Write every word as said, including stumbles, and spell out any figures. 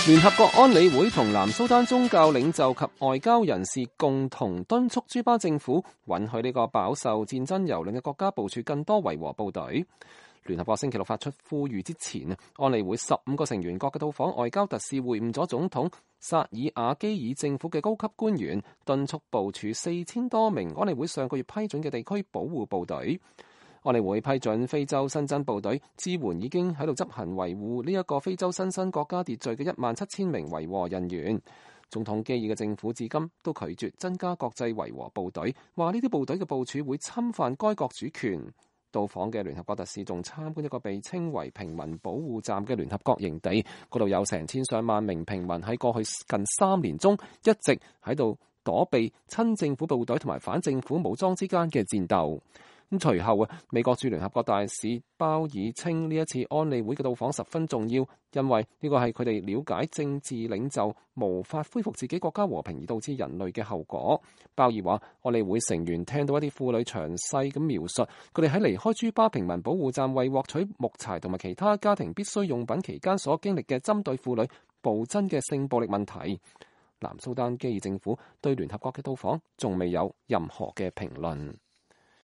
聯合國安理會同南蘇丹宗教領袖及外交人士共同敦促朱巴政府允許呢個飽受戰爭蹂躪嘅國家部署更多維和部隊。聯合國星期六發出呼籲之前，安理會十五個成員國嘅到訪外交特使會晤咗總統薩爾瓦基爾政府嘅高級官員，敦促部署四千多名安理會上個月批准嘅地區保護部隊。安理會批准非洲新增部隊支援已經喺度執行維護呢一個非洲新生國家秩序嘅一萬七千名維和人員。總統基爾嘅政府至今都拒絕增加國際維和部隊，話呢啲部隊嘅部署會侵犯該國主權。到訪嘅聯合國特使仲參觀一個被稱為平民保護站嘅聯合國營地，嗰度有成千上萬名平民喺過去近三年中一直喺度躲避親政府部隊同埋反政府武裝之間嘅戰鬥。咁隨後啊，美國駐聯合國大使鮑爾稱呢一次安理會嘅到訪十分重要，因為呢個係佢哋了解政治領袖無法恢復自己國家和平而導致人類嘅後果。鮑爾話，安理會成員聽到一啲婦女詳細咁描述佢哋喺離開朱巴平民保護站為獲取木柴同埋其他家庭必需用品期間所經歷嘅針對婦女暴增嘅性暴力問題。南蘇丹基爾政府對聯合國嘅到訪仲未有任何嘅評論。